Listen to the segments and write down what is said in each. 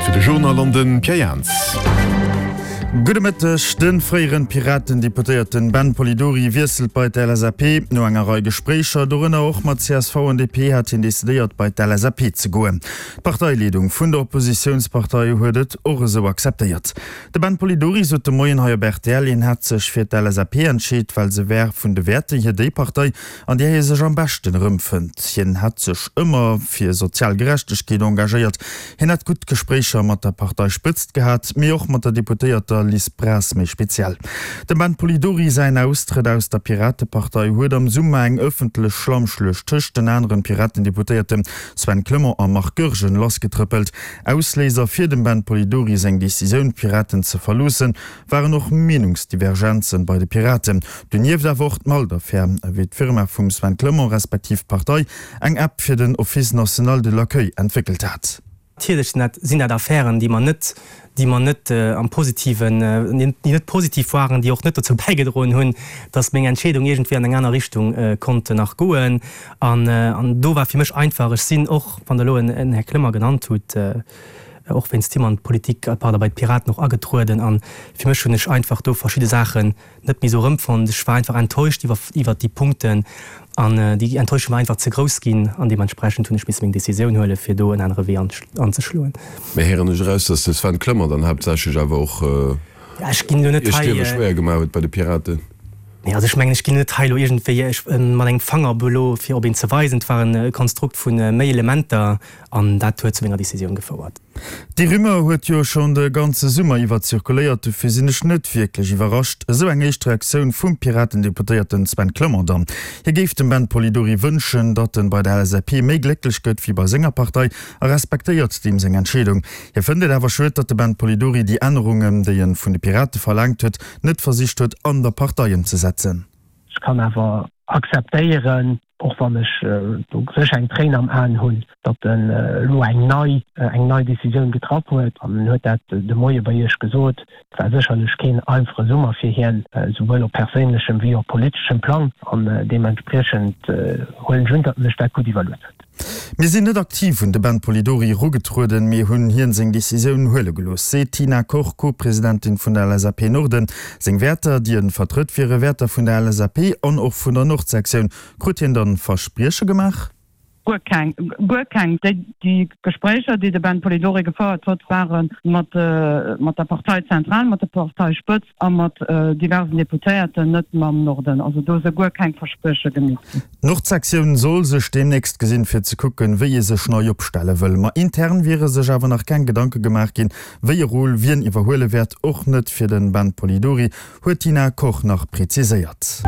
Zäit fir de Journal an de Pierre Jans. Gudde Mëtteg. De fréieren Piraten-Deputéierten Ben Polidori wiesselt bei d'LSAP. No enger Rei Gespréicher, dorënner och mat csv an DP, hat hien decidéiert bei d'LSAP ze goen. D'Parteileedung vun der Oppositiounspartei huet et och esou akzeptéiert. De Ben Polidori sot de Moien hei op rtl, hien hätt sech fir d'LSAP entscheet, well se wär vun de Wäerter hier déi Partei, an där hie sech am beschten erëmfënnt. Hien hätt sech ëmmer fir sozial Gerechtegkeet engagéiert. Hien hätt gutt Gespréicher mat der Parteispëtzt gehat, mee och mat der Deputéierter Liz Braz méi speziell. Dem Ben Polidori säin Austrëtt aus der Piratepartei huet am Summer eng ëffentlech Schlammschluecht tëscht den aneren Piratendeputéierte Sven Clement a Marc Goergen lassgetrëppelt. Ausléiser fir dem Ben Polidori seng Decisioun, d'Piraten ze verloossen, waren och Meenungsdivergenzen bei de Piraten. Donieft awer och d'Malt-Affär, wéi d'Firma vum Sven Clement respektiv d'Partei eng App fir den Office national de l'accueil entwéckelt hat. Natierlech sinn dat, sinn dat Affären, déi mer net, déi mer net am Positiven, déi net positiv waren, déi och net dozou bäigedroen hunn, datt meng Entscheedung iergendwéi an eng aner Richtung konnt nach goen. An, an do war fir mech einfach, ech sinn och, wann Der elo en Här Clement genannt hutt, och wéinst him an d'Politik, pardon, bei d'Piraten och agetrueden an fir mech hunn ech einfach do verschidde Saachen net méi esou erëmfonnt. Ech war einfach enttäuscht iwwer iwwert déi Punkten an déi Enttäuschung war einfach ze grouss ginn an deementsprechend hunn ech misse meng Decisioun huelen, fir do en anere Wee anzeschloen. Mä héieren ech eraus, datt de Sven Clement dann haaptsächlech awer och Ech ginn elo net Iech d'Liewe schwéier gemaach huet bei de Piraten? Nee, also ech mengen, ech ginn net hei elo iergendwéi mat engem Fanger op elo fir op een ze weisen. Et war e Konstrukt vu méi Elementer An dat huet zu menger Decisioun gefouert. Déi Rumeur huet jo schonn de ganze Summer iwwer zirkuléiert, dofir sinn ech net wierklech iwwerrascht. Esou eng éischt Reaktioun vum Piraten-Deputéierten Sven Clement dann. Hie géif dem Ben Polidori wënschen, datt en bei der LSAP méi glécklech gëtt wéi bei senger Partei a respektéiert deem seng Entscheedung. Hie fënnt et awer schued, datt de Ben Polidori déi Ännerungen, déi en vun de Pirate verlaangt huet, net versicht huet an der Partei ëmzesetzen. Ech kann awer akzeptéieren, och wann ech do sécher eng Tréin am Aen hunn, datt en elo eng nei, eng nei Décisioun getraff huet. An en huet dat de Moie bei Iech gesot. Et war sécherlech keen einfache Summer fir hien, souwuel op perséinlechem wéi op politeschem Plang. An deementspriechend huelen ech un, datt en sech dat gutt iwwerluet huet. Mir sinn net aktiv un de Ben Polidori erugetrueden, mee hunn hien seng Decisioun huele gelooss, seet d'Tina Koch, Co-Presidentin vun der LSAP Norden. Seng Wäerter, déi en vertrëtt, wiere Wäerter vun der LSAP an och vun der Nordsektioun. Krut hien dann Versprieche gemaach? Guer keng, guer keng. Déi Gespréicher, déi de Ben Polidori gefouert huet, ware mat mat der Parteizentral, mat der Parteispëtzt a mat diversen Deputéierten, net mam Norden. Also do si guer keng Versprieche gemeet ginn. D'Nordsektioun soll sech deemnächst gesinn, fir ze kucken, wéi ee sech nei opstelle wëll. Ma intern wiere sech awer nach keng Gedanke gemaach ginn, wéi e Rôle wien iwwerhuele wäert. Och net fir den Ben Polidori, huet d'Tina Koch nach präziséiert.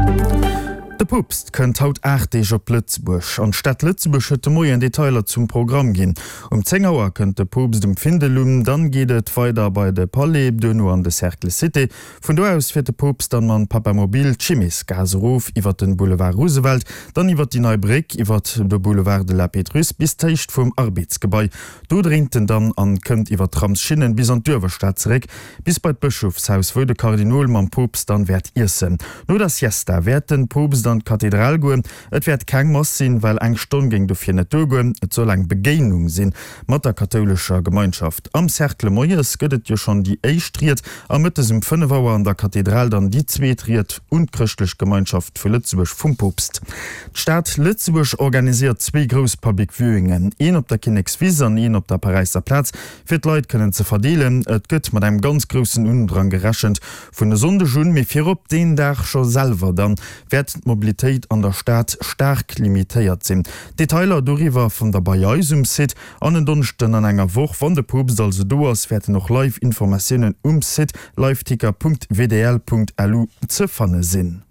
De Poopst kënnt haut 8 Deeg op Lëtzebuerg. An d'Stad Lëtzebuerg huet de Moien Detailer zum Programm ginn. Um 10 Auer kënnt de Poopst um Findel un, dann geet et weider bei de Palais, duerno an de Cercle Cité. Vun do aus fiert de Poopst dann mam Papamobil d'Chimesgaass erof, iwwert den Boulevard Roosevelt, dann iwwert déi nei Bréck, iwwert de Boulevard de la Pétrusse bis d'Héicht vum Arbedsgebai. Do dréint en dann an kënnt iwwert d'Tramsschinnen bis an d'Uewerstad zeréck, bis bei d'Bëschofshaus, wou de Kardinol mam Poopst dann wäert iessen. No der Siesta wäert den Poopst an d'Kathedral goen. Et wäert keng Mass sinn, well eng Stonn géing dofir net duergoen. Et soll eng Begéinung sinn mat der kathoulescher Gemeinschaft. Am Cercle moies gëtt et jo schonn déi éischt Ried a mëttes um 5 Auer an der Kathedral dann déi zweet Ried un d'chrëschtlech Gemeinschaft vu Lëtzebuerg vum Poopst. D'Stad Lëtzebuerg organiséiert zwee grouss Public Viewingen, een op der Kinnekswiss an een op der Paräisser Plaz, fir d'Leit kënnen ze verdeelen. Et gëtt mat engem ganz groussen Undrang gerechent vun e Sonndeg un, mee virop deen Dag scho selwer dann wäert d'Mobilitéit an der Stad staark limitéiert sinn. Detailer doriwwer fannt der bei eis um Site. An en Donneschden an enger Woch, wann de Poopst also do ass, wäerten och live Informatiounen um Site liveticker.wdl.lu ze fanne sinn.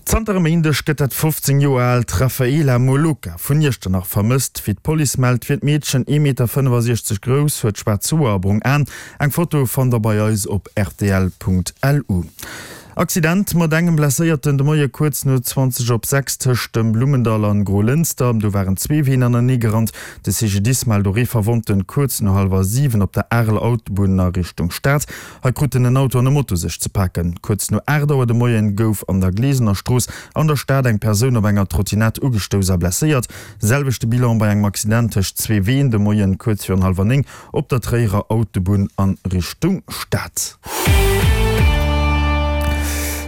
Zanter e Méindeg gëtt dat 15 Joer aalt Rafaela Moloka vun Iechternach vermësst. Wéi d'Police mellt, wier d'Meedchen 1,65 Meter grouss, huet schwaarz Hoer a brong Aen. Eng Foto fannt der bei eis op rtl.lu. Accident mat engem Blesséierten de Moie kuerz no 20 op 6 tëscht dem Blummendall an Grolënster. Do waren zwee Ween anenee gerannt. De CGDIS mellt och ee Verwonnten kuerz no hallwer 7 op der Areler Autobunn a Richtung Stad. Hei kruten en Auto an e Moto sech ze paken. Kuerz no 8 Auer de Moien gouf an der Glesener Strooss an der Stad eng Persoun op enger Trottinett ugestouss a blesséiert. Selwechte Bilan bei engem Accident tëscht zwee Ween de Moien kuerz virun hallwer 9 Op der Tréierer Autobunn an Richtung Stad.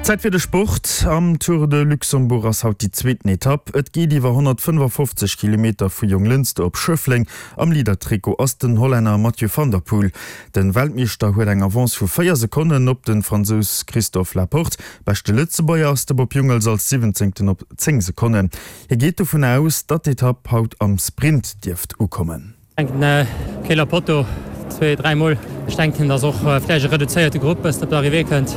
Zäit fir de Sport. Am Tour de Luxembourg ass haut déi zweeten Etapp. Et geet iwwer 155 Kilometer vu Jonglënster op Schëffleng. Am Leader-Trikot ass den Hollänner Mathieu van der Poel. Den Weltmeeschter huet eng Avance vu 4 Sekonnen op den Fransous Christophe Laporte. Beschte Lëtzebuerger ass de Bob Jungels als Siwwenzéngten op 10 Sekonnen. Hie geet dovun aus, datt d'Etapp haut am Sprint dierft ukommen. Denken Keller Potto zwee, dräi Mol. Ech denken, dass och vläicht e reduzéierte Grupp bëssen op d'Arrivée kënnt,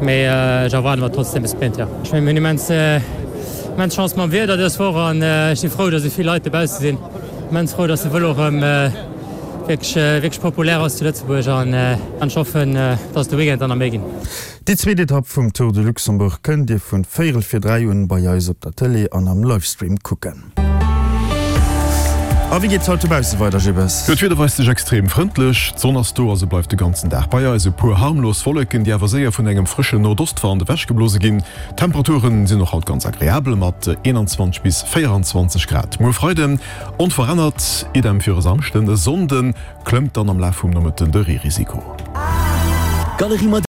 mee ech erwaarde mer trotzdem e Sprint, jo. Ech mengen, mir hunn immens, immens Chance mam Wieder dës Woch an ech si frou, dass esou vill Leit dobausse sinn. Immens frou, dass de Vëlo erëm wierklech, wierklech populär ass zu Lëtzebuerg an ech hoffen, dass et de Weekend der nach méi ginn. Déi zweet Etapp vum Tour de Luxembourg kënnt Dir vun véierel vir 3 un bei eis op der Tëlee an am Livestream kucken. A wéi geet et haut dobausse weider, Jibbes? Jo, d'Wieder weist sech extrem frëndlech. D'Sonn ass do a se bleift de ganzen Dag bei eis. E puer harmlos Wolleken, déi awer séier vun engem frëschen Nordostwand ewechgeblose ginn. D'Temperature sinn och haut ganz agreabel mat 21 bis 24 Grad. Muer Freiden onverännert, idem fir e Samschden. E Sonnde klëmmt dann am Laf vum Nomëtten de Reerisiko.